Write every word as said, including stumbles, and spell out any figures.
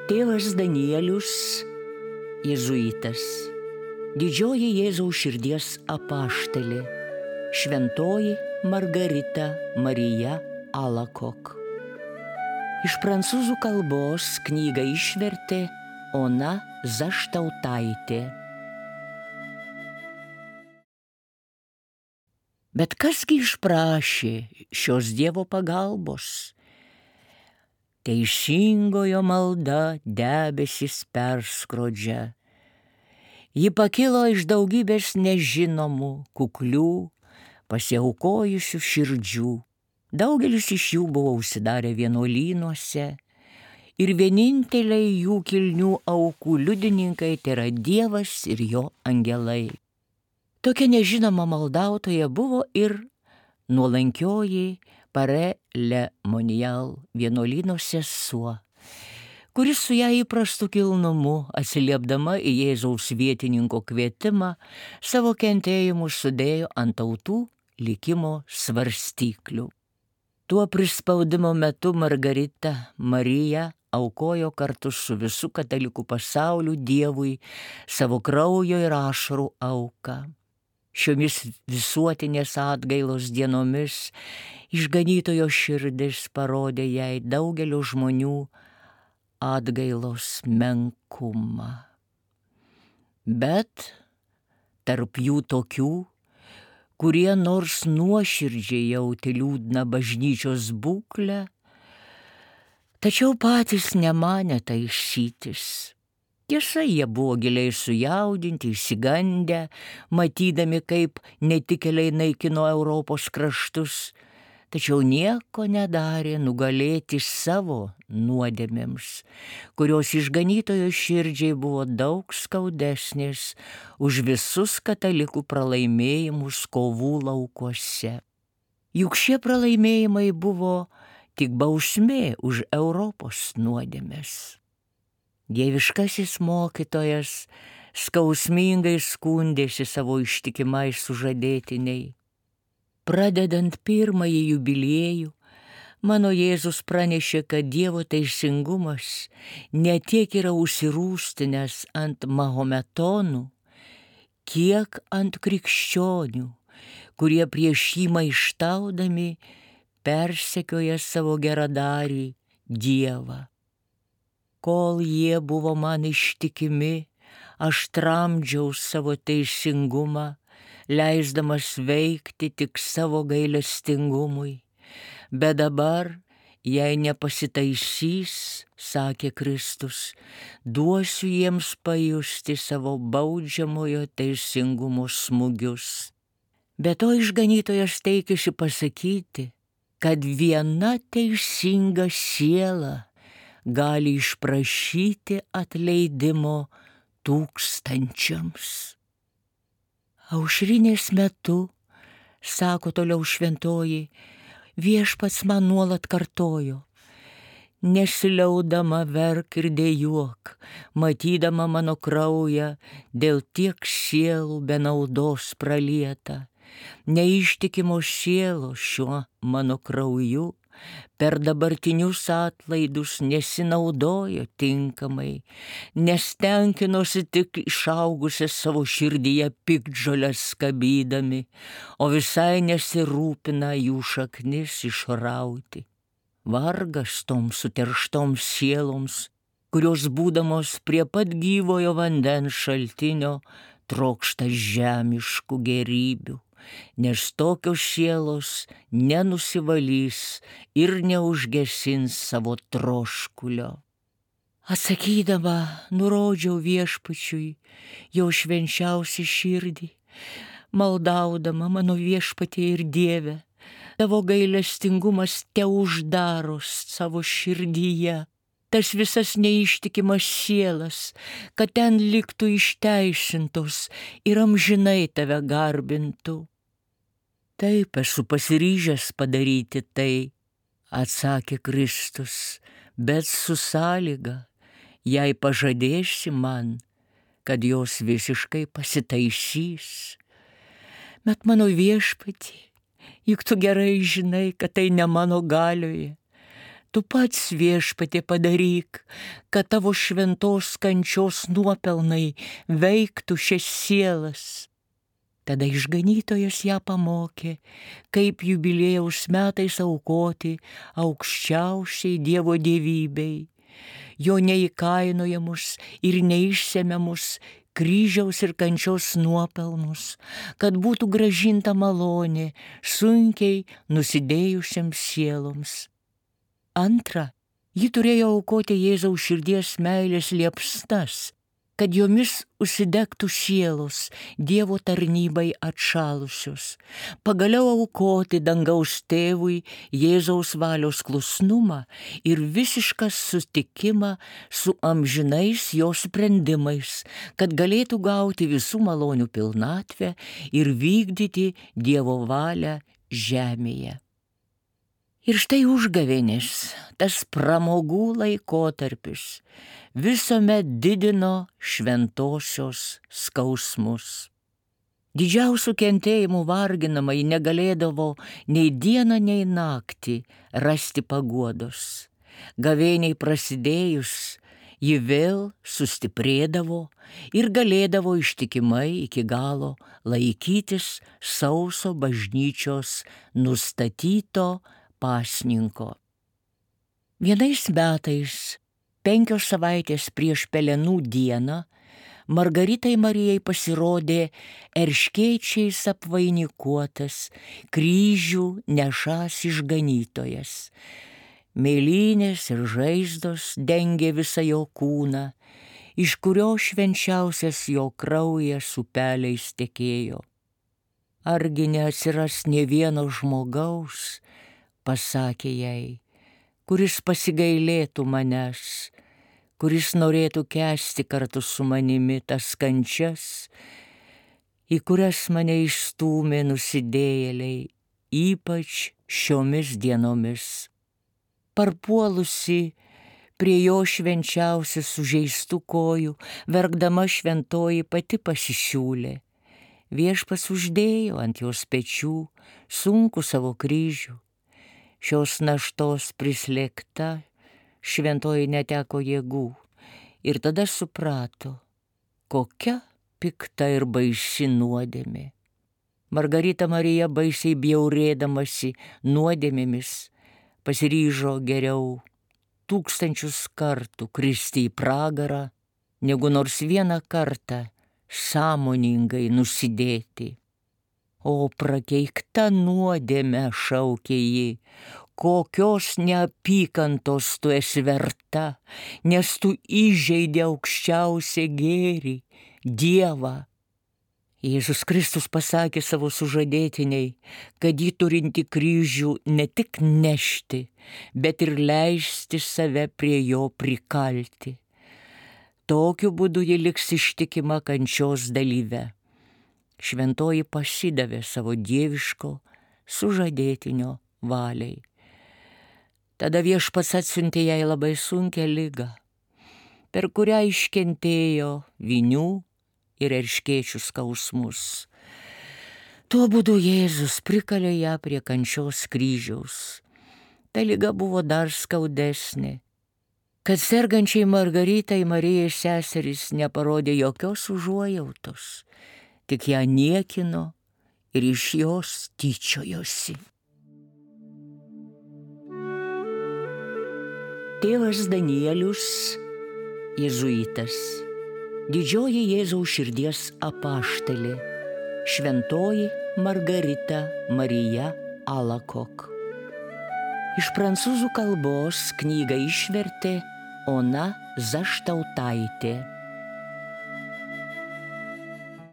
Tėvas Danielius, jėzuitas, didžioji Jėzaus širdies apaštalė, šventoji Margarita Marija Alakok. Iš prancūzų kalbos knygą išvertė Ona Zaštautaitė. Bet kasgi išprašė šios Dievo pagalbos? Teisingojo malda debesis perskrodžia. Ji pakilo iš daugybės nežinomų, kuklių, pasiaukojusių širdžių. Daugelis iš jų buvo užsidarę vienuolynuose ir vieninteliai jų kilnių aukų liudininkai tai yra Dievas ir jo angelai. Tokia nežinoma maldautoja buvo ir nuolankioji Pare Le Monial vienuolyno sesuo, kuris su ją įprastu kilnumu, atsiliepdama į Jėzaus vietininko kvietimą, savo kentėjimus sudėjo ant tautų likimo svarstyklių. Tuo prispaudimo metu Margarita Marija aukojo kartu su visų katalikų pasauliu Dievui savo kraujo ir ašarų auką. Šiomis visuotinės atgailos dienomis išganytojo širdis parodė jai daugelio žmonių atgailos menkumą. Bet tarp jų tokių, kurie nors nuoširdžiai jautė liūdną bažnyčios būklę, tačiau patys nemanė taisytis. Tiesa, jie buvo giliai sujaudinti, išsigandę, matydami, kaip netikėliai naikino Europos kraštus, tačiau nieko nedarė nugalėti savo nuodėmėms, kurios išganytojo širdžiai buvo daug skaudesnės už visus katalikų pralaimėjimus kovų laukuose. Juk šie pralaimėjimai buvo tik bausmė už Europos nuodėmės. Dieviškasis mokytojas skausmingai skundėsi savo ištikimai sužadėtiniai. Pradedant pirmąjį jubiliejų, mano Jėzus pranešė, kad Dievo teisingumas ne tiek yra užsirūstinęs ant mahometonų, kiek ant krikščionių, kurie prieš jį maištaudami persekioja savo geradarį Dievą. Kol jie buvo man ištikimi, aš tramdžiau savo teisingumą, leisdamas veikti tik savo gailestingumui. Bet dabar, jei nepasitaisys, sakė Kristus, duosiu jiems pajusti savo baudžiamojo teisingumo smūgius. Be to išganytojas teikėsi pasakyti, kad viena teisinga siela gali išprašyti atleidimo tūkstančiams. Aušrinės metu, sako toliau šventoji, viešpats man nuolat kartojo, nesiliaudama verk ir dejuok, matydama mano kraują dėl tiek sielų be naudos pralieta, neištikimos sielos šiuo mano krauju, per dabartinius atlaidus nesinaudojo tinkamai, nes tenkinosi tik išaugusią savo širdyje piktžoles skabydami, o visai nesirūpina jų šaknis išrauti. Vargas toms suterštoms sieloms, kurios būdamos prie pat gyvojo vandens šaltinio trokšta žemiškų gerybių, nes tokios sielos nenusivalys ir neužgesins savo troškulio. Atsakydama, nurodžiau viešpačiui jo švenčiausią širdį, maldaudama mano viešpatie ir Dieve, tavo gailestingumas te uždaro savo širdyje tas visas neištikimas sielas, kad ten liktų išteisintos ir amžinai tave garbintų. Taip esu pasiryžęs padaryti tai, atsakė Kristus, bet su sąlyga, jei pažadėsi man, kad jos visiškai pasitaisys. Bet mano viešpatie, juk tu gerai žinai, kad tai ne mano galioje. Tu pats, Viešpatie, padaryk, kad tavo šventos kančios nuopelnai veiktų šias sielas. Tada išganytojas ją pamokė, kaip jubiliejaus metais aukoti aukščiausiai Dievo dievybei, jo neįkainojamus ir neišsemiamus kryžiaus ir kančios nuopelnus, kad būtų grąžinta malonė sunkiai nusidėjusiems sieloms. Antra, ji turėjo aukoti Jėzaus širdies meilės liepsnas, kad jomis užsidegtų sielos Dievo tarnybai atšalusios, pagaliau aukoti dangaus tėvui Jėzaus valios klusnumą ir visišką sutikimą su amžinais jo sprendimais, kad galėtų gauti visų malonių pilnatvę ir vykdyti Dievo valią žemėje. Ir štai užgavėnės, tas pramogų laikotarpis, visuomet didino šventosios skausmus. Didžiausių kentėjimų varginamai negalėdavo nei dieną, nei naktį rasti paguodos. Gavėniai prasidėjus, ji vėl sustiprėdavo ir galėdavo ištikimai iki galo laikytis sauso bažnyčios nustatyto pasninko. Vienais metais, penkios savaitės prieš Pelenų dieną, Margaritai Marijai pasirodė erškėčiais apvainikuotas, kryžių nešąs išganytojas. Mėlynės ir žaizdos dengė visą jo kūną, iš kurio švenčiausias jo kraujas upeliais tekėjo. Argi neatsiras nė vieno žmogaus, pasakė jai, kuris pasigailėtų manęs, kuris norėtų kęsti kartu su manimi tas kančias, į kurias mane išstūmė nusidėjėliai, ypač šiomis dienomis. Parpuolusi prie jo švenčiausių sužeistų kojų, verkdama šventoji pati pasisiūlė. Viešpats uždėjo ant jos pečių sunkų savo kryžių. Šios naštos prislėgta, šventoji neteko jėgų ir tada suprato, kokia pikta ir baisi nuodėmė. Margarita Marija baisiai bjaurėdamasi nuodėmėmis pasiryžo geriau tūkstančius kartų kristi į pragarą, negu nors vieną kartą sąmoningai nusidėti. O prakeikta nuodėme, šaukė ji, kokios neapykantos tu esi verta, nes tu įžeidė aukščiausią gėrį, Dievą. Jėzus Kristus pasakė savo sužadėtiniai, kad ji turinti kryžių ne tik nešti, bet ir leisti save prie jo prikalti. Tokiu būdu ji liks ištikima kančios dalyve. Šventoji pasidavė savo dieviško sužadėtinio valiai. Tada Viešpats atsiuntė jai labai sunkią ligą, per kurią iškentėjo vinių ir erškėčių skausmus. Tuo būdu Jėzus prikalė ją prie kančios kryžiaus. Ta liga buvo dar skaudesnė, kad sergančiai Margaritai Marijai seserys neparodė jokios užuojautos, tik ją niekino ir iš jos tyčiojosi. Tėvas Danielius, jėzuitas, didžioji Jėzaus širdies apaštalė, šventoji Margarita Marija Alakok. Iš prancūzų kalbos knygą išvertė Ona Zaštautaitė.